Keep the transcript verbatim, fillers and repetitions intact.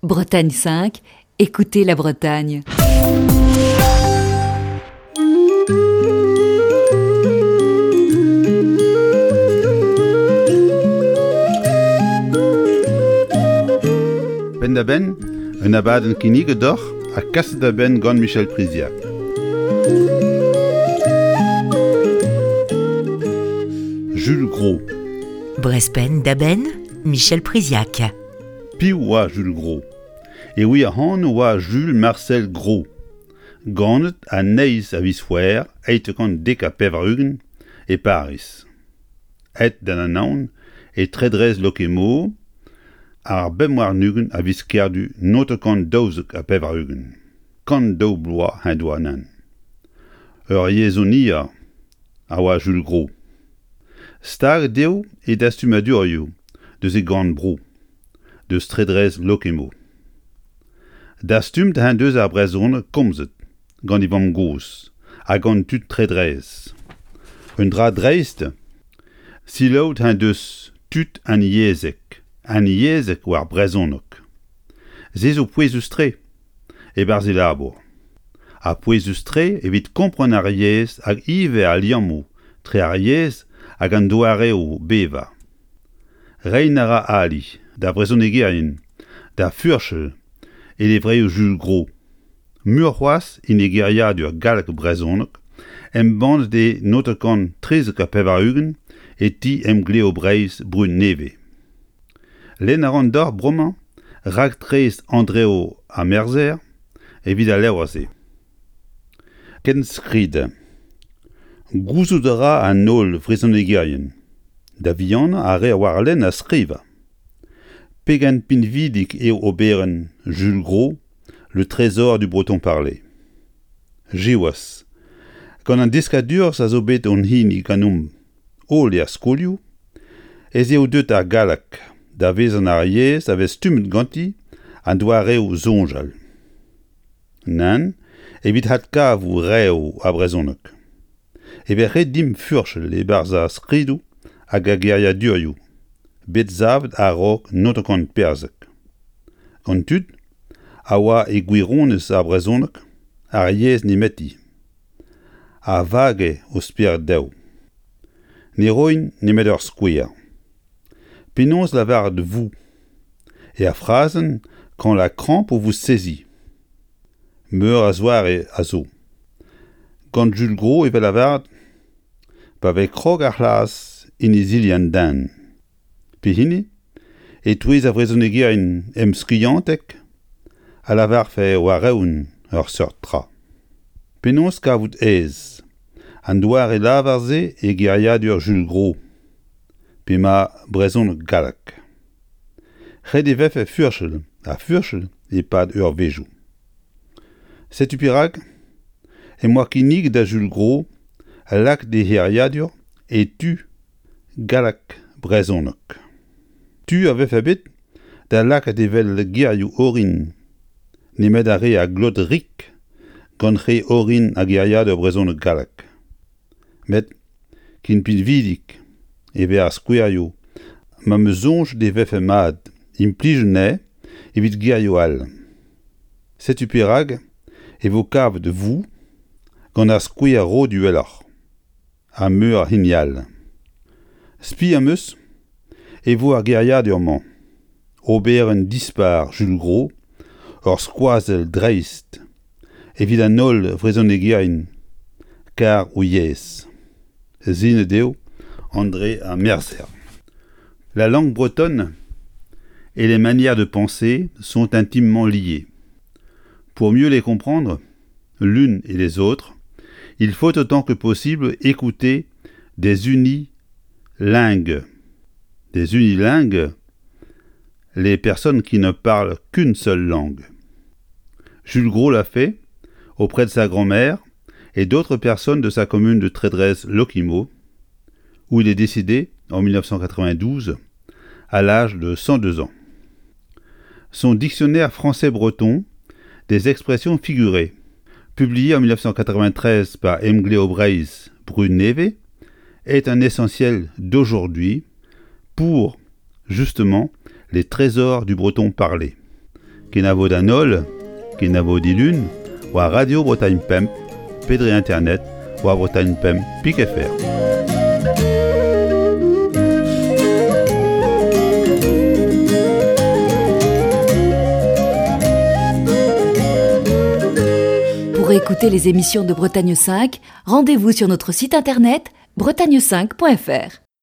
Bretagne cinq, écoutez la Bretagne. Penn-da-benn, un abadenn kinniget deoc'h ha kaset da benn gant Michel Priziac. Jules Gros. Brest Penn-da-Benn, Michel Priziac. Piv oa Jules Gros? E wir anv oa Jules Marcel Gros. Ganet an eizh a viz C'hwevrer eizh kant dek ha pevar-ugent e Pariz. Aet d'an Anaon e Tredrez-Lokemo ar bemp warn-ugent a viz Kerdu naontek daouzek ha pevar-ugent. Kant daou bloaz en doa anezhañ. Ur yezhonier a oa Jules Gros. Staget eo e dastumadurioù deus e gorn-bro, deus Tredrez-Lokemo. Dastumet en deus ar brezhoneg komzet gant e vamm-gozh ha gant tud Tredrez. Un dra dreist, selaouet en deus tud unyezhek, unyezhek war brezhoneg. Se zo pouezus-tre e-barzh e labour. Ha pouezus-tre evit kompren ar yezh hag ivez al liammoù tre ar yezh hag an doareoù bevañ. Reiñ a ra ali da vrezhonegerien, da furchal e levrioù Jules Gros. Muioc'h c'hoazh en e geriadur galleg-brezhoneg embannet e naontek trizek ha pevar-ugent e ti Emgleo Breiz Brud Nevez. Lenn a ran deoc'h bremañ raktres Andreo ar Merzer evit al levr-se. Kentskrid. Gouzout a ra an holl vrezhonegerien, da vihanañ ar re a oar lenn ha skrivañ. Pegen pinvidik eo oberenn Jules Gros, Le trésor du breton parlé. Siwazh, gant an deskadurezh a zo bet hon hini ganeomp holl er skolioù, ez eo deuet ar galleg da vezañ ar yezh a vez stummet ganti an doareoù soñjal. Nann, evit adkavout reoù ar brezhoneg. E vez ret dimp furchal e-barzh ar skridoù hag ar geriadurioù bet savet a-raok naontek perzek. Gant tud a oa e gwirionez ar brezhoneg ar yezh nemeti, a vage o spered dezho. Ne roin nemet ur skouer. Penaos lavaret vous er frazenn quand la crampe vous saisit. Meur a zoare a zo. Gant Jules Gros e vez lavaret pa vez krog ar c'hlas en izili an den. Pehini e-touez ar vrezhonegerien emskiantek a lavarfe war-eeun ur seurt tra. Penaos kavout aes an doare lavar-se e geriadur Jules Gros, pe ma brezhoneg galleg. Ret e vefe furchal ha furchal e-pad eurvezhioù. Setu perak em boa kinniget da Jules Gros lakaat e c'heriadur e tu galleg-brezhoneg. Tu a vefe bet da lakaat evel gerioù orin nemet ar re a glot rik gant re orin ar geriadur brezhoneg-galleg. Met ken pinvidik e vez ar skouerioù ma 'm eus soñjet e vefe mat implij anezhe evit gerioù all. Setu perak e vo kavet vous gant ar skouer roet uheloc'h ha meur a hini all. Spi am eus e vo ar geriadur-mañ oberenn dispar Jules Gros ur skoazell dreist evit an holl vrezhonegerien kar o yezh. Sinet eo André ar Merzer. La langue bretonne et les manières de penser sont intimement liées. Pour mieux les comprendre, l'une et les autres, il faut autant que possible écouter des unilingues. Des unilingues, les personnes qui ne parlent qu'une seule langue. Jules Gros l'a fait auprès de sa grand-mère et d'autres personnes de sa commune de Trédrez-Lokemo, où il est décédé en mille neuf cent quatre-vingt-douze à l'âge de cent deux ans. Son dictionnaire français-breton des expressions figurées, publié en mille neuf cent quatre-vingt-treize par Emgleo Breiz Brud Nevez, est un essentiel d'aujourd'hui pour, justement, les trésors du breton parlé. Kenavo d'an holl, kenavo dilun, war Radio Bretagne Pemp, pe dre internet, war Bretagne Pemp pik F R. Pour écouter les émissions de Bretagne cinq, rendez-vous sur notre site internet bretagne cinq point F R.